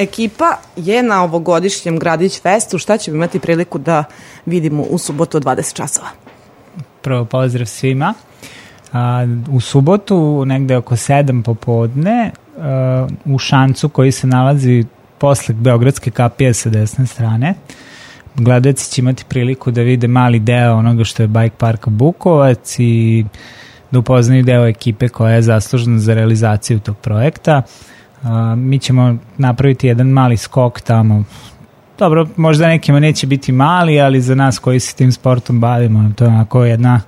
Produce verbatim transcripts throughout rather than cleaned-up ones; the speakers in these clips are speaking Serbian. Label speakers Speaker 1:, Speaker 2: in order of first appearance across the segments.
Speaker 1: Ekipa je na ovogodišnjem Gradić Festu. Šta ćemo imati priliku da vidimo u subotu od dvadeset časova?
Speaker 2: Prvo pozdrav svima. A, u subotu, negde oko sedam popodne, a, u šancu koji se nalazi posle Beogradske kapije sa desne strane, gledaoci će imati priliku da vide mali deo onoga što je Bike Park Bukovac i da upoznaju deo ekipe koja je zaslužena za realizaciju tog projekta. Uh, mi ćemo napraviti jedan mali skok tamo. Dobro, možda nekima neće biti mali, ali za nas koji se tim sportom bavimo, to je onako jedna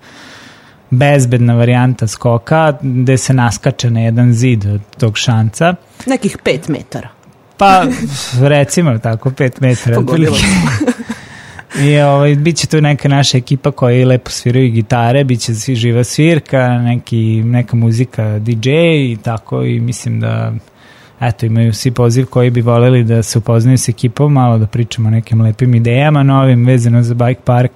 Speaker 2: bezbedna varijanta skoka gde se naskače na jedan zid od tog šanca.
Speaker 1: Nekih pet metara.
Speaker 2: Pa, recimo tako, pet metara.
Speaker 1: Pogodilo smo.
Speaker 2: I ovaj, bit će tu neka naša ekipa koja lepo sviraju gitare, bit će svi živa svirka, neki, neka muzika, D J i tako, i mislim da eto, imaju svi poziv koji bi voljeli da se upoznaju s ekipom, malo da pričamo o nekim lepim idejama novim vezano za Bike Park.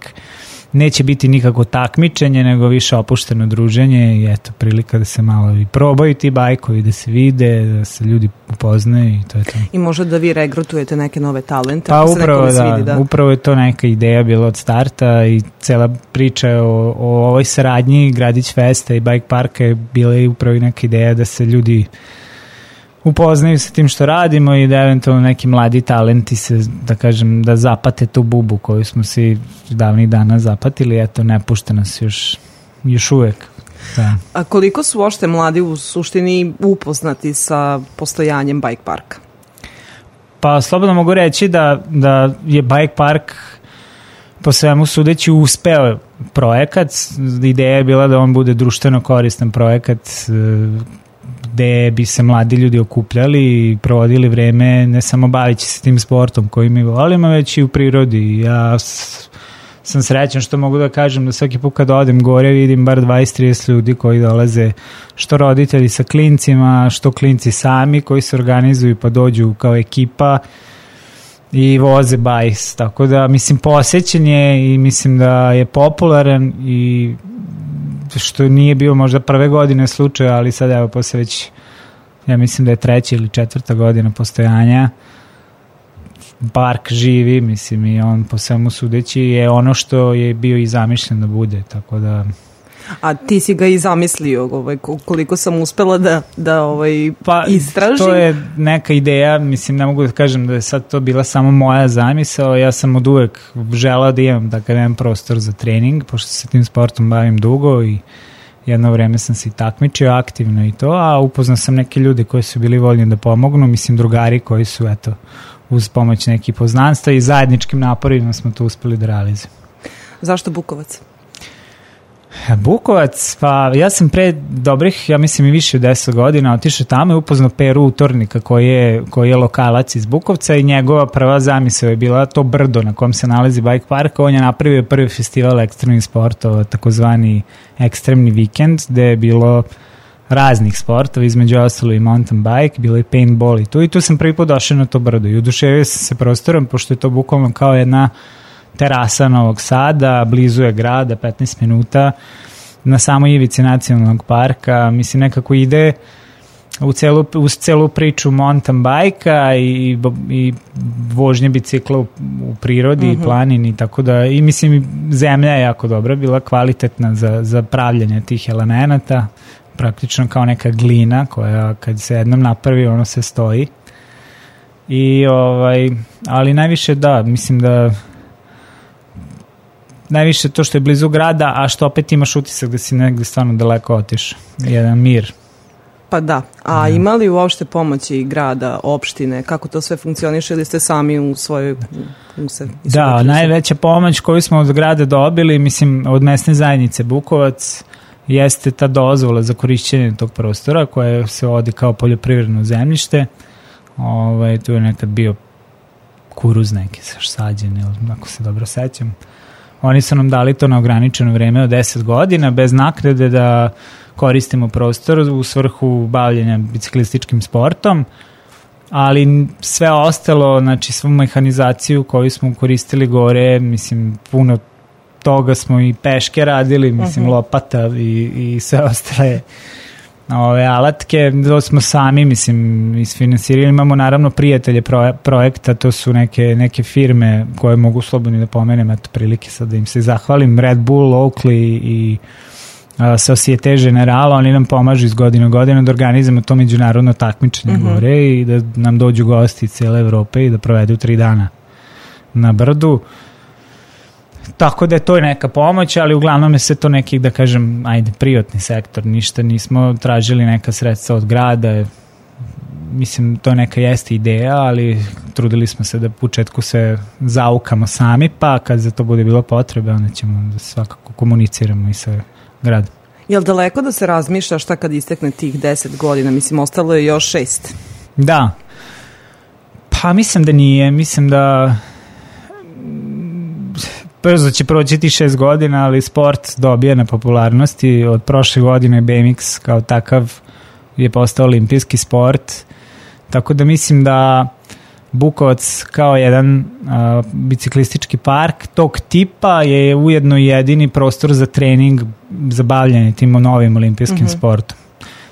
Speaker 2: Neće biti nikako takmičenje, nego više opušteno druženje i eto, prilika da se malo i probaju ti bajkovi, da se vide, da se ljudi upoznaju i to je to.
Speaker 1: I možda da vi regrutujete neke nove talente.
Speaker 2: Pa upravo da, svidi, da, upravo je to neka ideja bila od starta i cela priča o, o ovoj saradnji Gradić Festa i Bike Parka je bila i upravo i neka ideja da se ljudi upoznaju sa tim što radimo i da eventualno neki mladi talenti se, da kažem, da zapate tu bubu koju smo svi davnih dana zapatili, eto, ne pušta nas još, još uvek. Da.
Speaker 1: A koliko su uopšte mladi u suštini upoznati sa postojanjem Bike Parka?
Speaker 2: Pa slobodno mogu reći da, da je Bike Park po svemu sudeći uspeo projekat. Ideja je bila da on bude društveno koristan projekat gde bi se mladi ljudi okupljali i provodili vreme ne samo bavići se tim sportom koji mi volimo, već i u prirodi. Ja sam srećan što mogu da kažem da svaki put kad odem gore vidim bar dvadeset do trideset ljudi koji dolaze, što roditelji sa klincima, što klinci sami koji se organizuju pa dođu kao ekipa i voze bajs. Tako da, mislim, posećen je i mislim da je popularan i što nije bio možda prve godine slučaja, ali sad evo posle već, ja mislim da je treća ili četvrta godina postojanja, park živi, mislim, i on po svemu sudeći je ono što je bio i zamišljen da bude, tako da...
Speaker 1: A ti si ga i zamislio, ovaj, koliko sam uspela da, da ovaj,
Speaker 2: pa,
Speaker 1: istražim?
Speaker 2: To je neka ideja, mislim, ne mogu da kažem da je sad to bila samo moja zamisao, ja sam od uvek želao da imam takav jedan prostor za trening, pošto se tim sportom bavim dugo i jedno vreme sam se i takmičio aktivno i to, a upoznao sam neke ljude koji su bili voljni da pomognu, mislim drugari koji su, eto, uz pomoć nekih poznanstva i zajedničkim naporima smo to uspeli da realizujemo.
Speaker 1: Zašto Bukovac?
Speaker 2: Bukovac, pa ja sam pre dobrih, ja mislim i više od deset godina otišao tamo i upoznao Peru Utornika koji je, koji je lokalac iz Bukovca i njegova prva zamisao je bila to brdo na kom se nalazi Bike Park. On je napravio prvi festival ekstremnih sportova, takozvani ekstremni vikend, gde je bilo raznih sportova, između ostalo i mountain bike, bilo i paintball i tu i tu sam prvi put došao na to brdo i oduševio sam se prostorom, pošto je to bukvalno kao jedna terasa Novog Sada, blizu je grada, petnaest minuta, na samoj ivici nacionalnog parka, mislim nekako ide u celu, uz celu priču mountain bajka i, i vožnje bicikla u, u prirodi mm-hmm. i planini, tako da, i mislim zemlja je jako dobra, bila kvalitetna za, za pravljanje tih elemenata, praktično kao neka glina koja kad se jednom napravi ono se stoji i ovaj, ali najviše da, mislim da najviše to što je blizu grada, a što opet imaš utisak da si negde stvarno daleko otišao. Jedan mir.
Speaker 1: Pa da. A da. Ima li uopšte pomoći grada, opštine? Kako to sve funkcioniše ili ste sami u svojoj... U se,
Speaker 2: da, najveća pomoć koju smo od grada dobili, mislim, od mesne zajednice Bukovac, jeste ta dozvola za korišćenje tog prostora koja se vodi kao poljoprivredno zemljište. Ovaj, tu je nekad bio kuruz neki sađen, ako se dobro sećam. Oni su nam dali to na ograničeno vreme od deset godina, bez naknade da koristimo prostor u svrhu bavljenja biciklističkim sportom, ali sve ostalo, znači svu mehanizaciju koju smo koristili gore, mislim, puno toga smo i peške radili, mislim, uh-huh. lopata i, i sve ostale ove alatke, to smo sami, mislim, isfinansirali. Imamo naravno prijatelje proje, projekta, to su neke, neke firme koje mogu slobodno da pomenem, eto prilike sad da im se zahvalim, Red Bull, Oakley i uh, Societe Generale, oni nam pomažu iz godine u godinu da organizujemo to međunarodno takmičenje mm-hmm. gore i da nam dođu gosti iz cijele Evrope i da provedu tri dana na brdu. Tako da je to neka pomoć, ali uglavnom je sve to neki, da kažem, ajde, privatni sektor, ništa, nismo tražili neka sredstva od grada, mislim, to neka jeste ideja, ali trudili smo se da u početku se zaukamo sami, pa kad za to bude bilo potrebe, onda ćemo da svakako komuniciramo i sa gradom.
Speaker 1: Je li daleko da se razmišlja šta kad istekne tih deset godina? Mislim, ostalo je još šest.
Speaker 2: Da. Pa mislim da nije, mislim da brzo će proći ti šest godina, ali sport dobija na popularnosti. Od prošle godine B M X kao takav je postao olimpijski sport, tako da mislim da Bukovac kao jedan a, biciklistički park tog tipa je ujedno jedini prostor za trening, za bavljanje tim novim olimpijskim mm-hmm. sportom.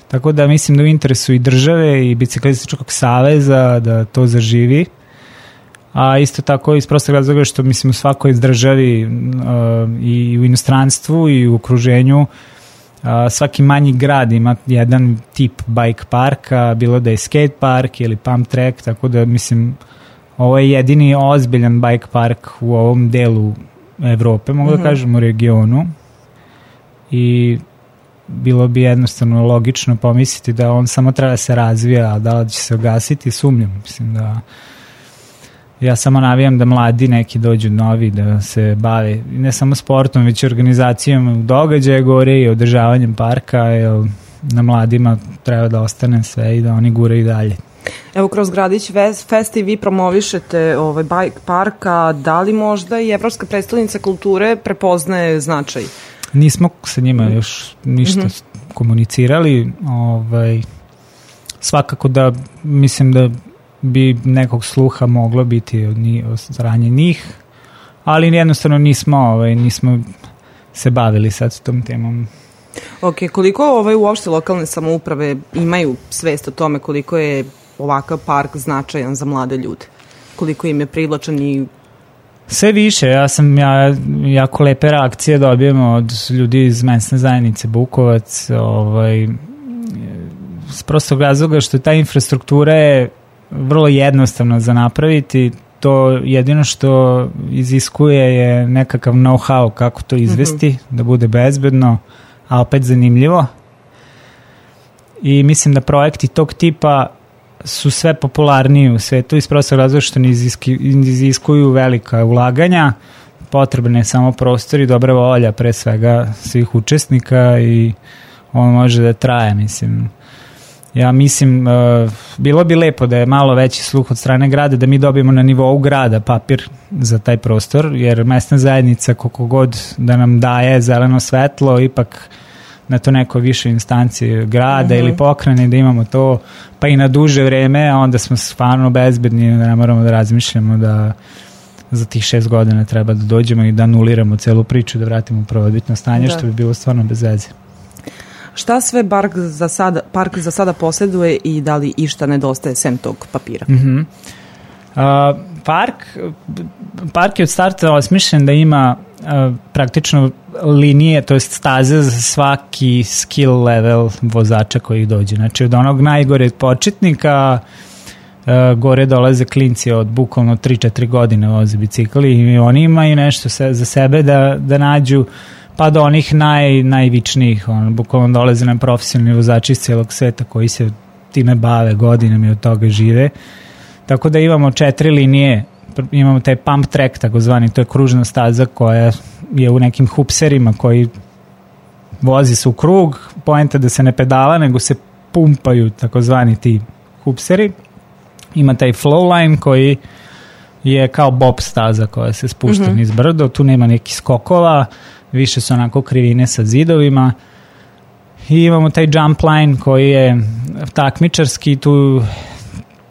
Speaker 2: Tako da mislim da u interesu i države i biciklističkog saveza da to zaživi. A isto tako iz prostog razloga što mislim u svakoj državi uh, i u inostranstvu i u okruženju uh, svaki manji grad ima jedan tip bike parka, bilo da je skate park ili pump track, tako da mislim ovo je jedini ozbiljan bike park u ovom delu Evrope, mogu mm-hmm. da kažem u regionu, i bilo bi jednostavno logično pomisliti da on samo treba da se razvija, a da li će se ugasiti, sumnjam, mislim da ja samo navijam da mladi neki dođu novi da se bave ne samo sportom, već organizacijom događaja gore i održavanjem parka, jer na mladima treba da ostane sve i da oni gure i dalje.
Speaker 1: Evo, kroz Gradić Fest i vi promovišete ovaj bike parka, da li možda i Evropska prestolnica kulture prepoznaje značaj?
Speaker 2: Nismo sa njima još ništa mm-hmm. komunicirali, ovaj, svakako da mislim da bi nekog sluha moglo biti od, njih, od strane njih, ali jednostavno nismo, ovaj, nismo se bavili sad s tom temom.
Speaker 1: Ok, koliko ovaj, uopšte lokalne samouprave imaju svest o tome koliko je ovakav park značajan za mlade ljude? Koliko im je privlačan i...
Speaker 2: Sve više, ja sam ja, jako lepe reakcije dobijemo od ljudi iz mesne zajednice Bukovac, ovaj, s prostog razloga što ta infrastruktura je vrlo jednostavno za napraviti, to jedino što iziskuje je nekakav know-how kako to izvesti, mm-hmm. da bude bezbedno, a opet zanimljivo. I mislim da projekti tog tipa su sve popularniji u svetu iz prostog razloga što ne iziskuju velika ulaganja, potrebne je samo prostor i dobra volja pre svega svih učesnika i on može da traje, mislim. Ja mislim, uh, bilo bi lepo da je malo veći sluh od strane grada, da mi dobijemo na nivou grada papir za taj prostor, jer mesna zajednica koliko god da nam daje zeleno svetlo, ipak na to neko više instancije grada mm-hmm. ili pokrajine da imamo to, pa i na duže vreme, a onda smo stvarno bezbedni, da ne moramo da razmišljamo da za tih šest godina treba da dođemo i da anuliramo celu priču, da vratimo u prvobitno stanje, da. Što bi bilo stvarno bez veze.
Speaker 1: Šta sve park za sada, park za sada posjeduje i da li išta nedostaje sem tog papira?
Speaker 2: Mm-hmm. Uh, park, park je od starta osmišljen da ima uh, praktično linije, to jest staze za svaki skill level vozača koji dođe. Znači od onog najgore početnika uh, gore dolaze klinci od bukvalno tri četiri godine voze bicikli i oni imaju nešto se, za sebe da, da nađu, pa do onih naj, najvičnijih, on, bukvalno dolaze nam profesionalni vozači iz cijelog sveta koji se time bave godinama i od toga žive. Tako da imamo četiri linije, imamo taj pump track takozvani, to je kružna staza koja je u nekim hupserima koji vozi se u krug, poenta da se ne pedala nego se pumpaju takozvani ti hupseri. Ima taj flow line koji je kao bob staza koja se spušta mm-hmm. niz brdo, tu nema nekih skokova, više su onako krivine sa zidovima i imamo taj jump line koji je takmičarski, tu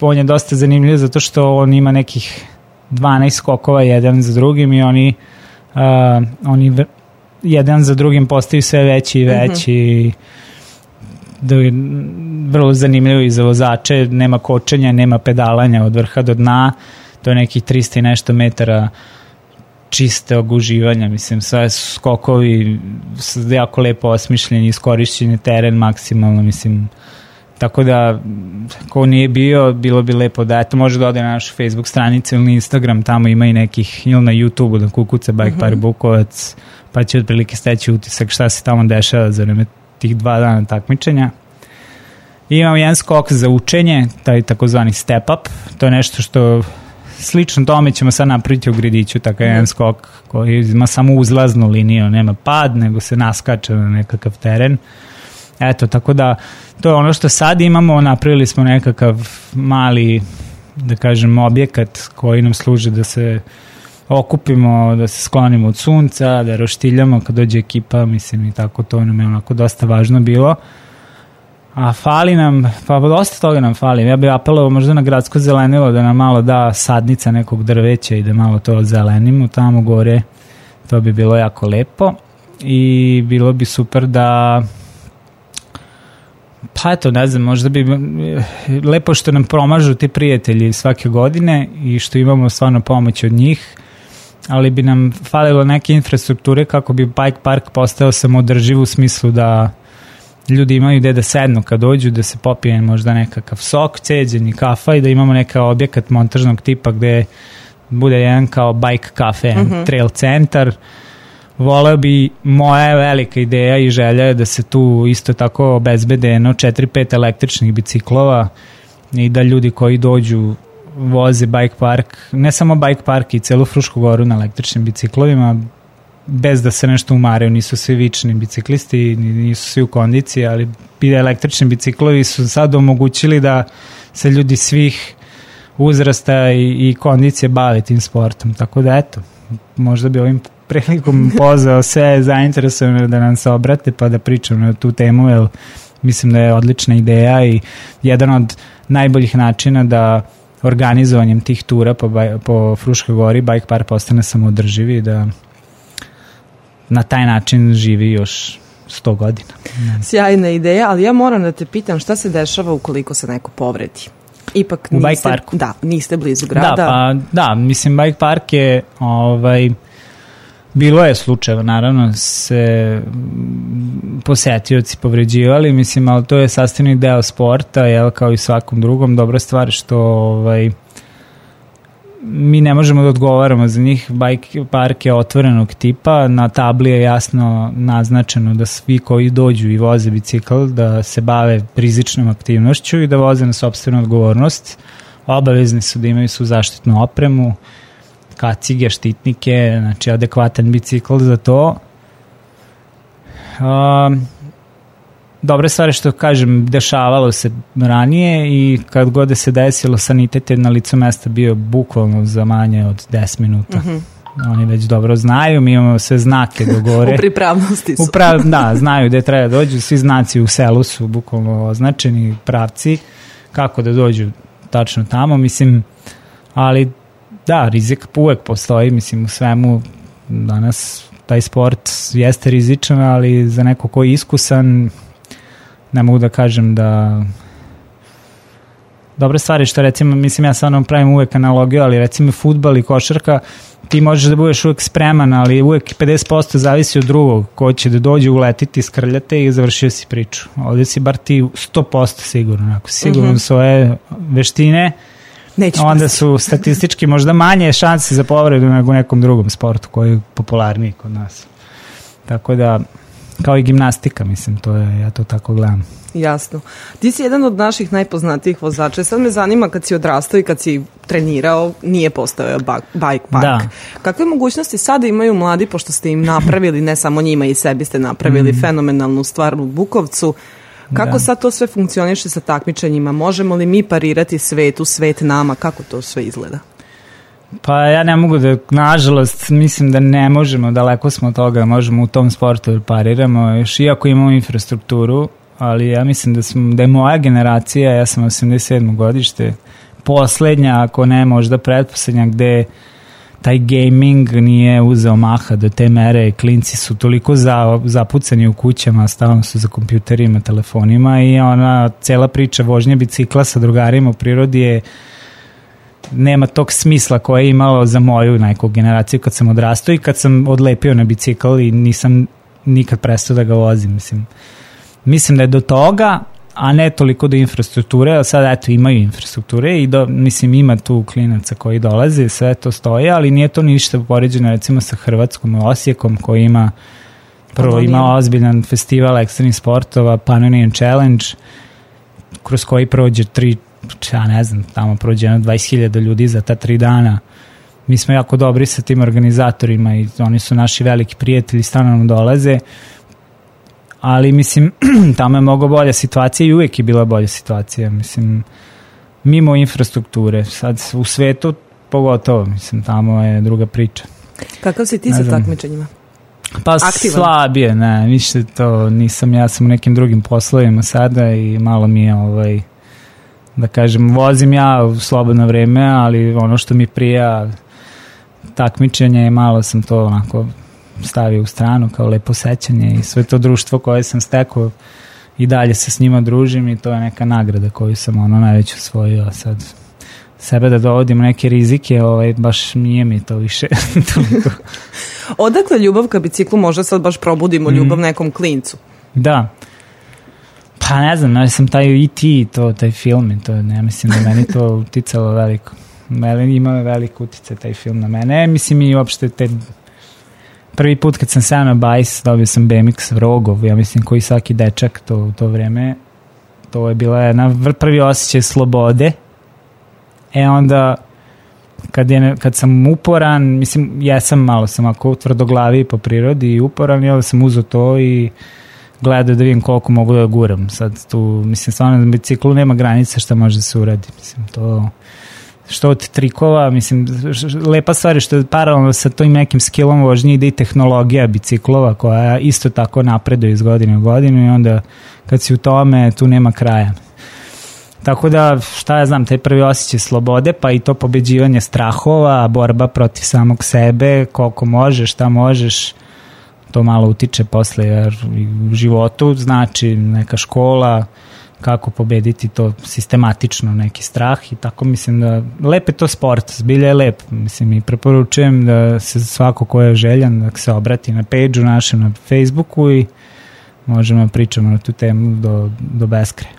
Speaker 2: on je dosta zanimljiv zato što on ima nekih dvanaest skokova jedan za drugim i oni, uh, oni jedan za drugim postaju sve veći i veći mm-hmm. da je vrlo zanimljivo i za vozače, nema kočenja, nema pedalanja od vrha do dna, to je nekih trista i nešto metara čistog uživanja, mislim, sve su skokovi jako lepo osmišljeni, iskorišćeni teren maksimalno, mislim, tako da ko nije bio, bilo bi lepo da eto, može da ode na našu Facebook stranicu ili Instagram, tamo ima i nekih, ili na YouTube-u da kukuca Bike Park Bukovac, pa će otprilike steći utisak šta se tamo dešava za vreme tih dva dana takmičenja. I imamo jedan skok za učenje, taj takozvani step up, to je nešto što slično tome ćemo sad napraviti u Grediću, takav jedan skok koji ima samo uzlaznu liniju, nema pad, nego se naskače na nekakav teren. Eto, tako da to je ono što sad imamo, napravili smo nekakav mali, da kažem, objekat koji nam služi da se okupimo, da se sklonimo od sunca, da roštiljamo kad dođe ekipa, mislim i tako, to nam je onako dosta važno bilo. A fali nam, pa dosta toga nam fali. Ja bih apelovao možda na gradsko zelenilo da nam malo da sadnica nekog drveća i da malo to zelenimo tamo gore. To bi bilo jako lepo i bilo bi super da pa eto, ne znam, možda bi lepo što nam promažu ti prijatelji svake godine i što imamo stvarno pomoć od njih, ali bi nam falilo neke infrastrukture kako bi bike park postao samoodrživ u smislu da ljudi imaju gde da sednu kad dođu, da se popije možda nekakav sok, ceđeni kafa i da imamo neka objekat montažnog tipa gde bude jedan kao bike kafe, mm-hmm. trail centar. Voleo bi, moja velika ideja i želja je da se tu isto tako obezbede jedno četiri pet električnih biciklova i da ljudi koji dođu voze bike park, ne samo bike park i celu Frušku goru na električnim biciklovima, bez da se nešto umaraju, nisu svi vični biciklisti, nisu svi u kondiciji, ali električni biciklovi su sad omogućili da se ljudi svih uzrasta i, i kondicije bave tim sportom, tako da eto, možda bi ovim prilikom pozvao sve zainteresovane da nam se obrate pa da pričamo na tu temu, jer mislim da je odlična ideja i jedan od najboljih načina da organizovanjem tih tura po, po Fruškoj gori bike park postane samoodrživi i da na taj način živi još sto godina.
Speaker 1: Sjajna ideja, ali ja moram da te pitam šta se dešava ukoliko se neko povredi. Ipak
Speaker 2: u
Speaker 1: niste,
Speaker 2: bike parku.
Speaker 1: Da, niste blizu grada.
Speaker 2: Da, pa, da, mislim bike park je ovaj, bilo je slučajeva, naravno se posetioci povređivali, mislim, ali to je sastavni deo sporta, jel, kao i svakom drugom. Dobra stvar što ovaj, mi ne možemo da odgovaramo za njih. Bike park je otvorenog tipa, na tabli je jasno naznačeno da svi koji dođu i voze bicikl da se bave rizičnom aktivnošću i da voze na sopstvenu odgovornost. Obavezni su da imaju su zaštitnu opremu, kacige, štitnike, znači adekvatan bicikl za to. Um, Dobre stvari što kažem, dešavalo se ranije i kad god se desilo, sanitet je na licu mesta bio bukvalno za manje od deset minuta. Mm-hmm. Oni već dobro znaju, mi imamo sve znake do gore.
Speaker 1: U pripravnosti su.
Speaker 2: U prav, da, znaju gde treba dođu, svi znaci u selu su bukvalno označeni, pravci, kako da dođu tačno tamo, mislim, ali da, rizik uvek postoji, mislim, u svemu danas taj sport jeste rizičan, ali za neko ko je iskusan, ne mogu da kažem da dobre stvari što recimo, mislim ja stvarno pravim uvek analogiju, ali recimo fudbal i košarka, ti možeš da budeš uvek spreman, ali uvek pedeset posto zavisi od drugog, ko će da dođe, uletiti, skrljate i završio si priču. Ovdje si bar ti sto posto sigurno, ako sigurno mm-hmm. svoje veštine, neću onda su statistički možda manje šanse za povredu nego u nekom drugom sportu koji je popularniji kod nas. Tako da, kao i gimnastika, mislim, to je, ja to tako gledam.
Speaker 1: Jasno. Ti si jedan od naših najpoznatijih vozača. Sad me zanima kad si odrastao i kad si trenirao, nije postojao bike park. Da. Kakve mogućnosti sada imaju mladi, pošto ste im napravili, ne samo njima i sebi ste napravili mm. fenomenalnu stvar u Bukovcu, kako da. Sad to sve funkcioniše sa takmičenjima? Možemo li mi parirati svetu, svet nama? Kako to sve izgleda?
Speaker 2: Pa ja ne mogu da, nažalost, mislim da ne možemo, daleko smo od toga, možemo u tom sportu da pariramo, još iako imamo infrastrukturu, ali ja mislim da, smo, da je moja generacija, ja sam osamdeset sedmo godište, poslednja, ako ne možda pretposlednja, gde taj gaming nije uzeo maha do te mere, klinci su toliko za, zapucani u kućama, stalno su za kompjuterima, telefonima i ona cela priča vožnje bicikla sa drugarima u prirodi je nema tog smisla koje je imalo za moju neku generaciju kad sam odrastao i kad sam odlepio na bicikl i nisam nikad prestao da ga vozim. Mislim, mislim da je do toga, a ne toliko do infrastrukture, ali sad eto imaju infrastrukture i do, mislim ima tu klinaca koji dolaze, sve to stoje, ali nije to ništa poređeno recimo sa Hrvatskom Osijekom koji ima prvo ima ozbiljan festival ekstremnih sportova, Pannonian Challenge, kroz koji prođe tri, ja ne znam, tamo prođe jedno dvadeset hiljada ljudi za ta tri dana. Mi smo jako dobri sa tim organizatorima i oni su naši veliki prijatelji, stalno nam dolaze, ali mislim tamo je mnogo bolja situacija i uvijek je bila bolja situacija, mislim mimo infrastrukture, sad u svetu pogotovo, mislim tamo je druga priča.
Speaker 1: Kakav si ti sa takmičenjima?
Speaker 2: Pa aktivan? Slabije, ne, više to nisam, ja sam u nekim drugim poslovima sada i malo mi je ovaj, da kažem, vozim ja u slobodno vreme, ali ono što mi prija takmičenje je malo sam to onako stavio u stranu kao lepo sećanje i sve to društvo koje sam stekao i dalje se s njima družim i to je neka nagrada koju sam ono najveć osvojio, a sad sebe da dovodim neke rizike, ovaj, baš nije mi to više toliko.
Speaker 1: Odakle ljubav ka biciklu, možda sad baš probudimo ljubav mm. nekom klincu?
Speaker 2: Da. Pa ne znam, ja sam taj E T, to, taj film i to, ne mislim da meni to uticalo veliko. Meni ima veliko utice taj film na mene. Mislim i uopšte te prvi put kad sam seo na bajs, dobio sam B M X Rogov, ja mislim koji svaki dečak to, u to vreme. To je bila jedna prvi osjećaj slobode. E onda kad, je, kad sam uporan, mislim, jesam malo sam ako tvrdoglavi po prirodi i uporan, ja sam uzeo to i gledao da vidim koliko mogu da guram. Sad tu, mislim, stvarno na biciklu nema granice šta može da se uradi. Mislim, to što od trikova, mislim, lepa stvar je što je paralelno sa tim nekim skillom vožnje ide i tehnologija biciklova koja isto tako napreduje iz godine u godinu i onda kad si u tome, tu nema kraja. Tako da, šta ja znam, taj prvi osjećaj slobode, pa i to pobeđivanje strahova, borba protiv samog sebe, koliko možeš, šta možeš, to malo utiče posle, jer u životu znači neka škola, kako pobediti to sistematično, neki strah i tako mislim da lep je to sport, zbilja je lep, mislim i preporučujem da se svako ko je željan da se obrati na page-u našem na Facebooku i možemo da pričamo na tu temu do, do beskraja.